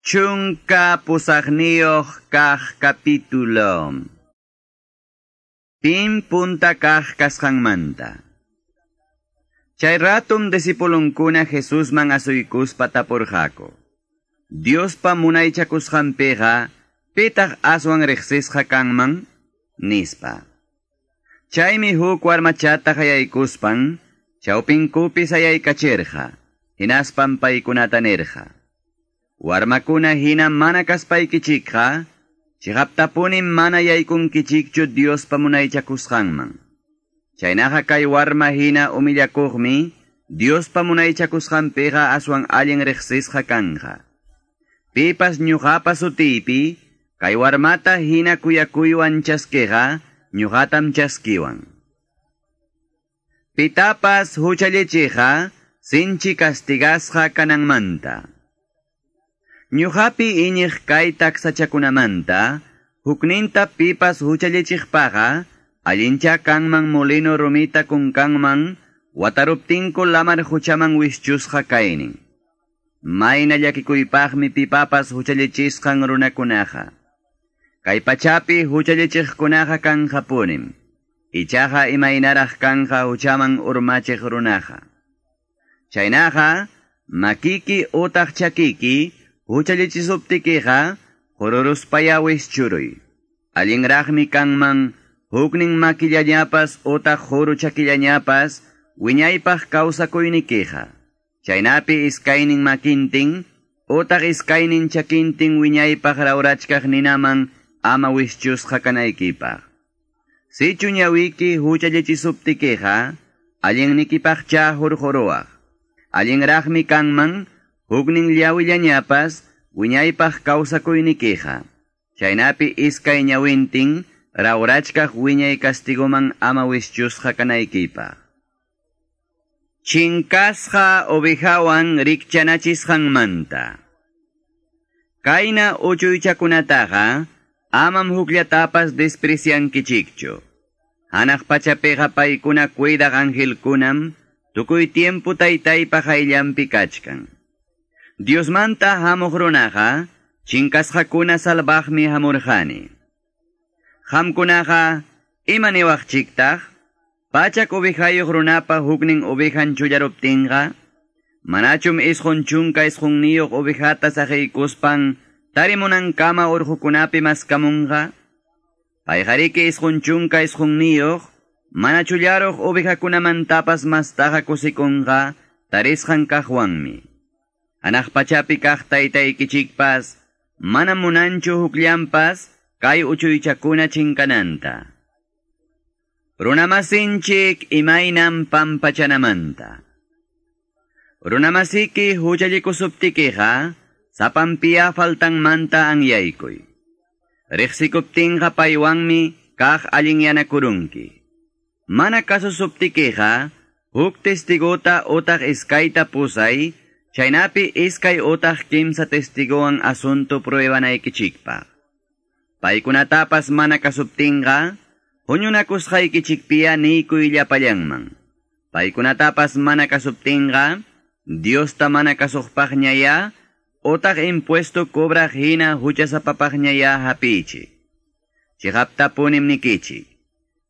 18 kaq capítulo. Pim punta kaq kasqanmanta. Chay ratum discipulunkuna Jesusman asuykuspa tapurqaku. Diospa munaychakusqanpiqa, pitaq aswan riqsisqa kanman? Nispa. Chaymi huk warmachata qayaykuspan, chawpinkupi sayaykachirqa, hinaspan paykunata nirqa. Warmakuna hina mana kaspaykichikqa, chiqaptapunim mana yaykunkichikchu Diospa munaychakusqanman. Chaynaqa kay warma hina humillakuqmi, Diospa munaychakusqanpiqa aswan allin riqsisqa kanqa. Pipas ñuqapa sutiypi, kay warmata hina kuyakuywan chaskiqa, ñuqatam chaskiwan. Pitapas huchallichiqa, sinchi castigasqa kananmanta. Ñuqapi iñiq kay taksachakunamanta, hukninta pipas huchallichiqpaqa, allincha kanman molino rumita kunkanman, wataruptinku lamar huchaman wischusqa kaynin. Mayna llakikuypaqmi pipapas huchallichisqan runakunaqa. Kay pachapi huchallichiqkunaqa kanqapunim. Ichaqa imaynaraq kanqa huchaman urmachiq runaqa. Chaynaqa, makiki utaq chakiki, huchallichisuptikiqa, hururuspaya wischuruy. Allinraqmi kanman, huknin makillañapas utaq huru chakillañapas, wiñaypaq kawsakuynikiqa. Chaynapi iskaynin makintin, utaq iskaynin chakintin wiñaypaq rawrachkaq ninaman ama wischusqa kanaykipaq. Sichu ñawiki huchallichisuptikiqa, allinnikipaqcha hurquruwaq. Allinraqmi kanman, huknin llawillañapas, wiñaypaq kawsakuynikiqa. Chaynapi iskay ñawintin, rawrachkaq wiñay castigoman ama wischusqa kanaykipaq. Chinkasqa ovejawan rikchanachisqanmanta. Kayna uchuychakunataqa, amam hukllatapas despreciankichikchu. Hanaq pachapiqa paykuna cuidaq angelkunam, tukuy tiempo taytaypa qayllanpi kachkan. Diosmanta hamuq runaqa, chinkasqakuna salvaqmi hamurqani. Qamkunaqa, ima niwaqchiktaq? Pachak ovejayuq runapa huknin ovejan chullaruptinqa, manachum 99 ovejata saqiykuspan tarimunankama urqukunapi maskamunqa? Payqariki 99 mana chullaruq ovejakunamantapas mastaqa kusikunqa tarisqan kaqwanmi. Hanaq pachapi kaq taytaykichikpas mana munanchu hukllanpas kay uchuychakuna chinkananta. Runamasinchik imaynam pampachanamanta. Runamasiki huchallikusuptikiqa, sapanpiya faltanmanta anyaykuy. Riqsikuptinqa paywanmi kaq allinyanakurunki. Mana kasusuptikiqa, huk testigota utaq iskayta pusay, chaynapi iskay utaq kimsa testigowan asunto pruebanaykichikpaq. Paykunatapas mana kasuptinqa, huñunakusqaykichikpiya niykuy llapallanman. Paykunatapas mana kasuptinqa, Diosta mana kasuqpaqñaya, utaq impuesto cobraq hina huchasapapaqñaya hapichik. Chiqaptapunim nikichik.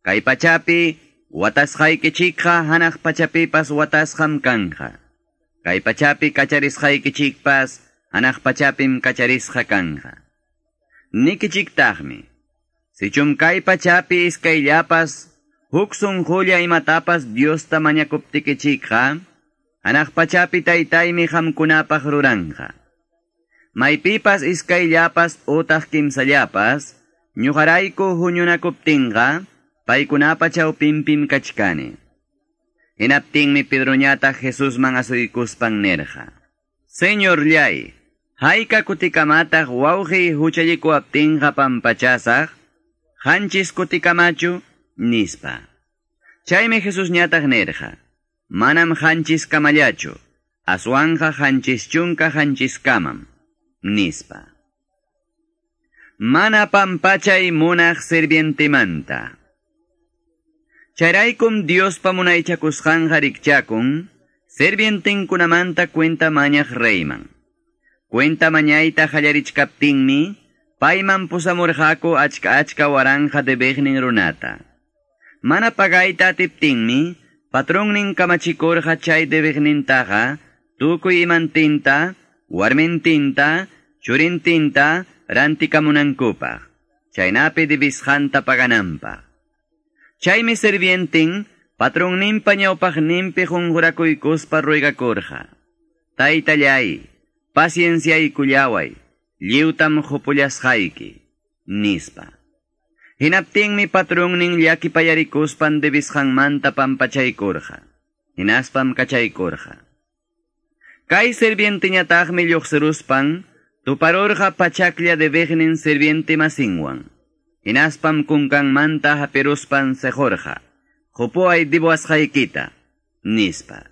Kay pachapi watasqaykichikqa hanaq pachapipas watasqam kanqa. Kay pachapi kacharisqaykichikpas hanaq pachapim kacharisqa kanqa. Nikichiktaqmi. Sichum kay pachapi iskayllapas, huk sunqulla imatapas Diosta mañakuptikichikqa, hanaq pachapi taytaymi qamkunapaq ruranqa. Maypipas iskayllapas utaq kimsallapas, ñuqarayku huñunakuptinqa, paykunapa chawpinpim kachkani. Hinaptinmi Pedroñataq Jesusman asuykuspan nirqa. Señorllay, hayka kutikamataq wawqiy huchallikuwaptinqa pampachasaq, 7 kutikamachu, nispa. Chaymi Jesusñataq nirqa, manam 7 kamallachu, aswanqa 77 kamam, nispa. Mana pampachay munaq sirvientemanta. Chayraykum Diospa munaychakusqanqa rikchakun, sirvientinkunamanta cuenta mañaq reyman. Cuenta mañayta qallarichkaptinmi, payman pusamurqaku achka achka waranqa debiqnin runata. Mana pagayta atiptinmi, patronnin kamachikurqa chay debiqnintaqa, tukuy imantinta, warmintinta, churintinta, rantikamunankupaq, chaynapi debisqanta pagananpaq. Chaymi sirvientin, patronninpa ñawpaqninpi qunqurakuykuspa ruegakurqa. Taytallay, pacienciaykullaway, lliwtam qupullasqayki, nispa. Hinaptinmi patronnin llakipayarikuspan debisqanmanta pampachaykurqa. Hinaspam kachaykurqa. Kay sirvienteñataqmi lluqsiruspan, tuparurqa pachaklla debiqnin sirviente masinwan. Hinaspam kunkanmanta hapiruspan sequrqa. Qupuway dibuwasqaykita, nispa.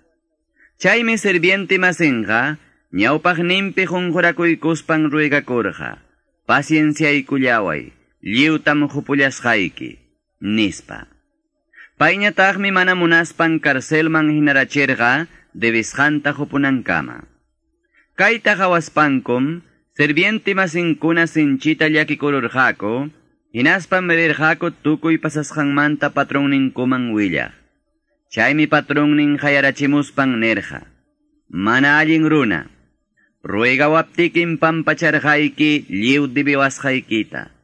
Chaymi sirviente masinqa, ñawpaqninpi qunqurakuykuspan ruegakurqa. Pacienciaykullaway, lliwtam qupullasqayki, nispa. Payñataqmi mana munaspan carcelman hinarachirqa debisqanta qupunankama. Kayta qawaspankum, sirviente masinkuna sinchita llakikururqaku, hinaspam rirqaku tukuy pasasqanmanta patronninkuman willaq. Chaymi patronnin qayarachimuspan nirqa: Mana allin runa, ruegawaptikim pampacharqayki lliw debiwasqaykita.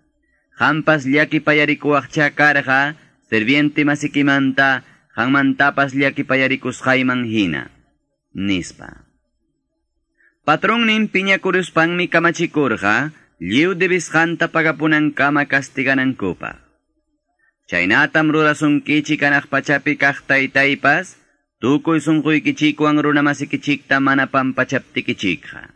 Qampas llakipayarikuwaqcha karqa sirviente masikimanta qanmantapas llakipayarikusqayman hina, nispa. Patronnin piñakuruspanmi kamachikurqa lliw debisqanta pagapunankama kastiganankupaq. Chaynatam rurasunkichik hanaq pachapi kaq taytaypas, tukuy sunquykichikwan runamasikichikta mana pampachaptikichikqa.